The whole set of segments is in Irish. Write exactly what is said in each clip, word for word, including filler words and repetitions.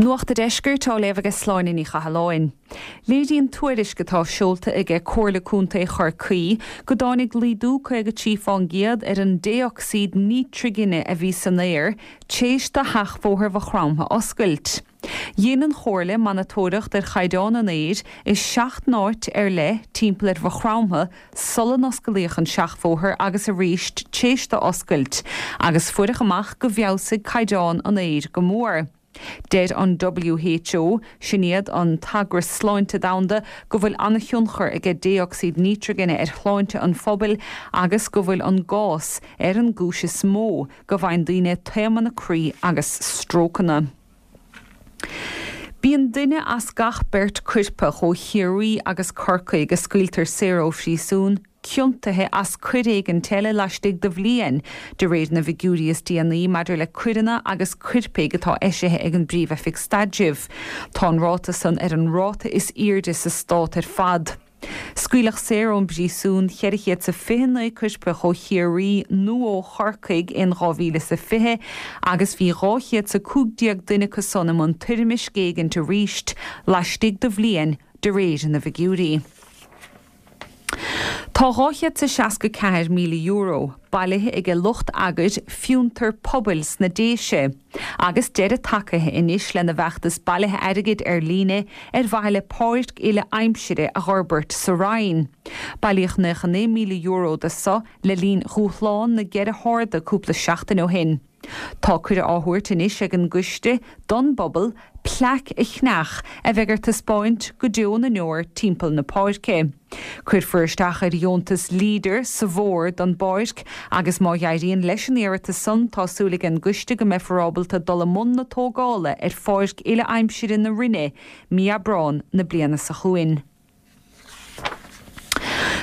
Nuacht an Deiscirt á léamh ag Sláine Ní Chathalláin. Léiríonn tuairisc atá seolta aige Comhairle Contae Chorcaí go dtáinig laghdú caoga trí faoin gcéad ar an dé-ocsaíd nítrigine a bhí san aer tréis do sheachbhóthar Mhaigh Chromtha oscailt. Dhein an Chomhairle monatóireacht ar chaighdeán an aeir i seacht n-áit ar leith timpeall ar Mhaigh Chromtha sula n-osclaíodh an seachbhóthar agus arís tréis dó oscailt, agus fuaireadh amach go bhfeabhsaigh caighdeán an aeir go mór. Deir an WHO, sin iad an t-eagras sláinte domhanda, go bhfuil an-thionchar aige dé-ocsaíd nítrigine ar shláinte an phobail agus go bhfuil an gás ar an gcúis is mó go bhfaigheann daoine taomanna croí agus strócanna. Bíonn duine as gach beirt coirpeach ó Chiarraí agus Corcaigh a scaoiltear saor ó phríosún ciontaithe as coir éigin eile laistigh de bhliain, de réir na bhfigiúirí is déanaí maidir le coireanna agus coirpigh atá eisithe ag an bPríomh-Oifig Staidrimh. Tá an ráta san ar an ráta is airde sa stát ar fad. Scaoileadh saor ón bpríosún ceithre chéad is fiche naoi coirpeach ó Chiarraí nó ó Chorcaigh in dhá mhíle is a fiche agus bhí dhá chéad is a cúig déag duine acu san i mbun toirmisc éigint arís laistigh de bhliain de réir na bhfigiúirí. Tá dhá chéad is seasca ceathair míle euro bailithe aige lucht eagair Fiontar Pobail sna Déise agus deireadh tagaithe anois lena bhfeachtas bailithe airgid ar líne ar mhaithe le páirc uile aimsire a fhorbairt sa Rinn. Bailíodh naocha naoi míle euro de so le linn dhúshlán na gceithre harda cúpla seachtain ó shin. Tá cuireadh á thabhairt anois ag an gcoiste don bpobal plaic a cheannach a bheidh ar taispeáint go deo na ndeor timpeall na páirce. Cuirfear isteach ar dheontas Leader sa bhfómhar don bpáirc agus má éiríonn leis an iarratas san tá súil ag an gcoiste go mbeifear ábalta dul i mbun na tógála ar pháirc uile aimsire na Rinne mí Aibreán na bliana seo chugainn.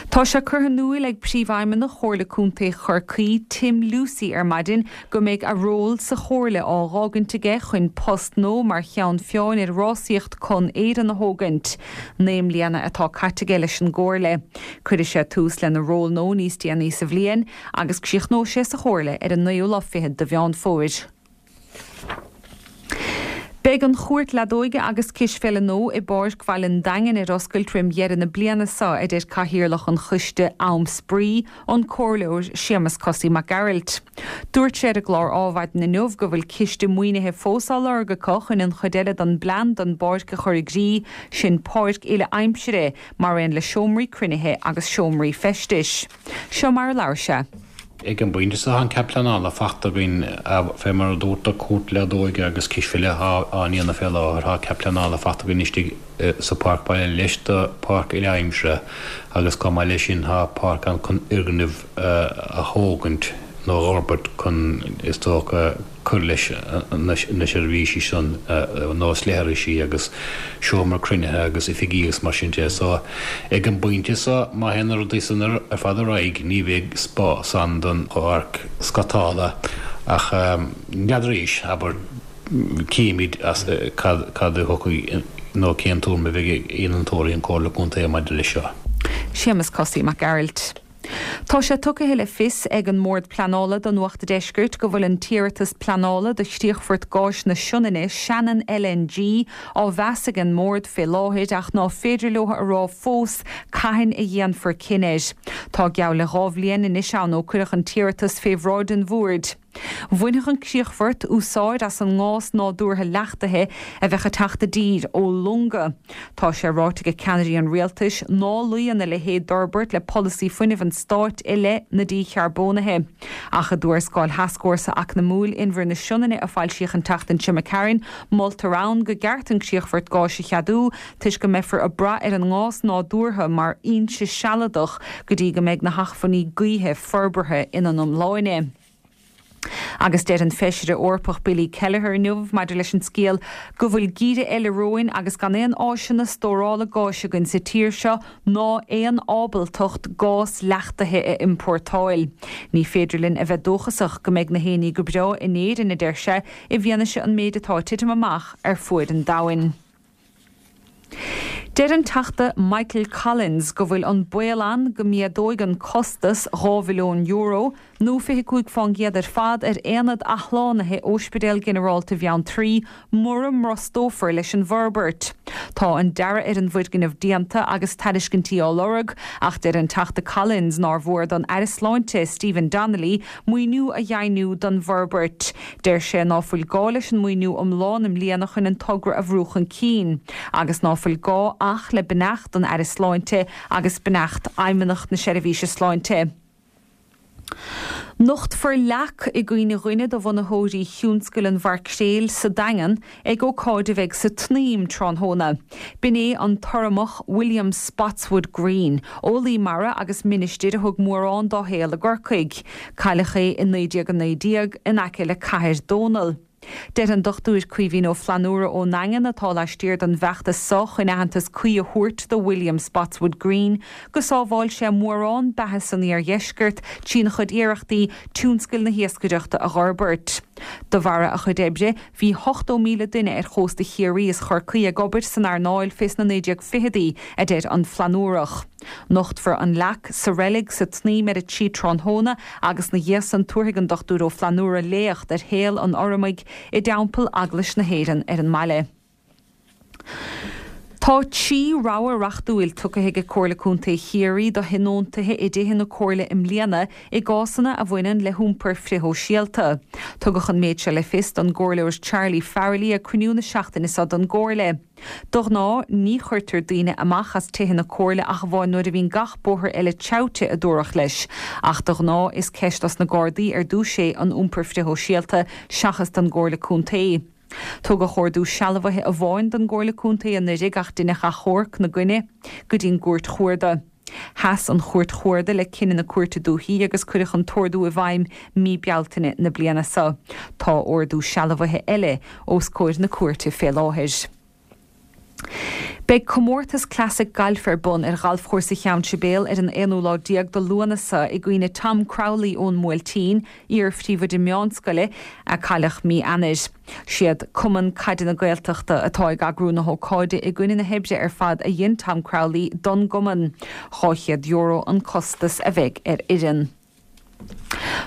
Tá sé curtha in iúl ag Príomhfheidhmeannach Chomhairle Contae Chorcaí, Tim Lucey ar maidin go mbeidh a ról sa chomhairle á dh'fhágaint aige chun post nua mar cheann feadhain ar rásaíocht Con Éireann a thógaint. Naoi mbliana atá caite aige leis an gcomhairle. Cuirfidh sé tús lena ról nua níos déanaí sa bhliain agus críochnóidh sé sa chomhairle ar an naoú lá fichead de Mheán Fómhair. Beidh an chúirt leadóige agus cispheile nua i bPáirc Bhaile an Daingin ar oscailt roim dheireadh na bliana seo, a deir Cathaoirleach an Choiste Am Spraoi, an Comhairleoir Séamus Cosaí Mac Gearailt. Dúirt sé ar an gclár Adhmhaidin inniu go bhfuil ciste maoinithe fós á lorg acu chun an chuid eile den bplean don bpáirc a chur i gcrích, sin páirc uile aimsire, mar aon le seomraí cruinnithe agus seomraí feistis. Seo mar a labhair sé. Ag an bpointe seo tá an cead pleanála faighte againn fé mar a dúirt tú cúirt leadóige agus cispheile á ndéanamh fé láthair. Tá cead pleanála faighte againn istigh sa pháirc baile leis do pháirc uile-aimsire agus chomh maith leis sin tá páirc ann chun fhoirgneamh a thógaint nó a fhorbairt chun is dócha cur leis na seirbhísí san nós leithrisí agus seomra cruinnithe agus oifigí agus mar sin de. So ag an bpointe seo má théann na rudaí san ar fad ar aghaidh ní bheidh spás ann don pháirc scátála ach n'fheadar arís, abair, cífimid cad a thiocfaidh nó cén tuairim a bheidh ag innealtóirí an Chomhairle Contae maidir leis seo. Séamus Cosaí Mac Gearailt. Tá sé tugtha le fios ag an mBord Pleanála do Nuacht an Deiscirt go bhfuil an t-iarratas pleanála do chríochfort gáis na Sionainne, Shannon LNG, á mheas ag an mBord fé láthair ach ná féidir leo a rá fós cathain a dhéanfar cinneadh air. Tá geall le dhá bhliain anois ann ó cuireadh an t-iarratas fé bhráid an Bhoird. Bhainfeadh an críochfort úsáid as an ngás nádúrtha leachtaithe a bheadh ag teacht i dtír ó longa. Tá sé ráite ag ceannairí an rialtais ná luíonn a leithéid d'fhorbairt le polasaí fuinnimh an stáit i leith na dícharbónaithe. Ach i dtuarascáil Thascfhórsa Eacnamúil Inbhear na Sionainne a foilsíodh an tseachtain seo imigh tharainn, moltar ann go gceart an críochfort gáis a cheadú toisc go mbeifear ag brath ar an ngás nádúrtha mar fhoinse sealadach go dtí go mbeidh na hacmhainní gaoithe forbartha ina n-iomláine. Agus deir an Feisire Eorpach Billy Kelleher inniu maidir leis an scéal go bhfuil geimhreadh eile romhainn agus gan aon áiseanna stórála gáis againn sa tír seo ná aon ábaltacht gás leachtaithe a iompórtáil. Ní féidir linn a bheith dóchasach go mbeidh na héinní go breá in Éirinn, a deir sé, i bhfianaise an méid atá ag titim amach ar fuaid an domhain. Deir an Teachta Michael Collins go bhfuil an baol ann go méadóidh an costas dhá mhilliún euro nó fiche cúig faoin gcéad ar fad ar aonad athshlánaithe Ospidéal Ginearálta Bheanntraí mura mbrostófar leis an bhforbairt. Tá an dearadh ar an bhfoirgneamh déanta agus tairiscintí á lorg, ach deir an Teachta Collins nár mhór don Aire Sláinte Stephen Donnelly maoiniú a dheimhniú don bhforbairt. Deir sé ná fuil gá leis an maoiniú iomlán i mbliana chun an togra a bhrú chun cinn, agus ná fuil gá ach le beannacht an Aire Sláinte agus beannacht Fheidhmeannacht na Seirbhíse Sláinte. Nochtfar leac i gcuimhne dhuine de bhunaitheoirí thionscal an mhaircréil sa Daingean ag ócáid a bheidh sa tSnaidhm tráthnóna. B'in é an tUrramach William Spotswood Green, eolaí mara agus ministir a thug mórán dá shaol i gCorcaigh. Cailleadh é i naoi déag a naoi déag in aice le Cathair Dónall. Deir an Dochtúir Caoimhín Ó Flannúra ón nDaingean atá laistiar den bhfeachtas seo chun aitheantas cuí a thabhairt do William Spotswood Green go sábháil sé mórán beatha san iardheisceart trína chuid iarrachtaí tionscal na hiascaireachta a fhorbairt. De bharra a chuid oibre, bhí ochtó míle duine ar chósta Chiarraí is Chorcaí ag obair san earnáil fés na naoi déag fichidí, a deir an Flannúrach. Nochtfar an leac sa reilig sa tSnaidhm ar a trí tráthnóna agus 'na dhiaidh san tabharfaidh an Dochtúir Ó Flannúra léacht ar shaol an Urramaigh i dTeampall Eaglais na hÉireann ar an mbaile. Tá trí rogha reachtúil tugtha ag Comhairle Contae Chiarraí do thionóntaithe i dtithe na Comhairle i mbliana i gcásanna a bhaineann le hiompar frithshóisialta. Tugadh an méid seo le fios don gComhairleoir Charlie Farrelly ag cruinniú na seachtaine seo den gComhairle. De ghnáth, ní chuirtear daoine amach as tithe na Comhairle ach amháin nuair a bhíonn gach bóthar eile teaghte, a dúradh leis. Ach de ghnáth, is ceist dos na Gardaí ar dtús é an iompar frithshóisialta seachas don gComhairle Contae. Tugadh ordú sealbhaithe amháin don gComhairle Contae anuraidh ach deineadh achomharc 'na gcoinne go dtí'n gCúirt Chuarda. Sheas an Chúirt Chuarda le cinneadh na Cúirte Dúichí agus cuireadh an t-ordú i bhfeidhm mí Bealtaine na bliana seo. Tá ordú sealbhaithe eile os comhair na cúirte fé láthair. Beidh comórtas Classic Gailf ar bun ar Ghalfchúrsa Cheann Sibéal ar an aonú lá déag de Lúnasa i gcuimhne Tom Crowley ón mBuailtín, iar-phríomhoide meánscoile, a cailleadh mí Eanáir. Siad Cumann Caide na Gaeltachta atá ag eagrú na hócáide i gcuimhne na hoibre ar fad a dhein Tom Crowley don gcumann. Dhá chéad euro an costas a bheidh ar fhoireann.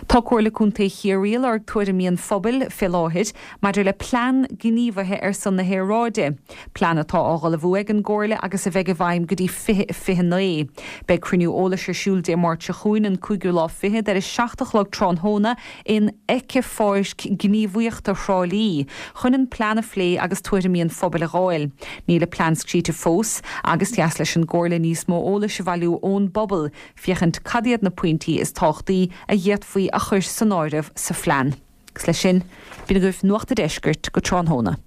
Tá Comhairle Contae Chiarraí ag lorg tuairimí an phobail fé láthair maidir le plean gníomhaithe ar son na haeráide, plean atá á ullmhú ag an gComhairle agus a bheidh i bhfeidhm go dtí fiche fiche a naoi. Beidh cruinniú eolais ar siúl Dé Máirt seo chugainn, an cúigiú lá fichead, ar a seacht a chlog tráthnóna in Éiceapháirc Gníomhaíochta Thrá Lí chun an plean a phlé agus tuairimí an phobail a dh'fháil. Níl an plean scríte fós agus deas leis an gComhairle níos mó eolais a bhailiú ón bpobal féachaint cad iad na pointí is tábhachtaí a d'fhéadfaí a chur san áireamh sa phlean. Agus leis sin, b'in agaibh Nuacht a' Deiscirt go tráthnóna.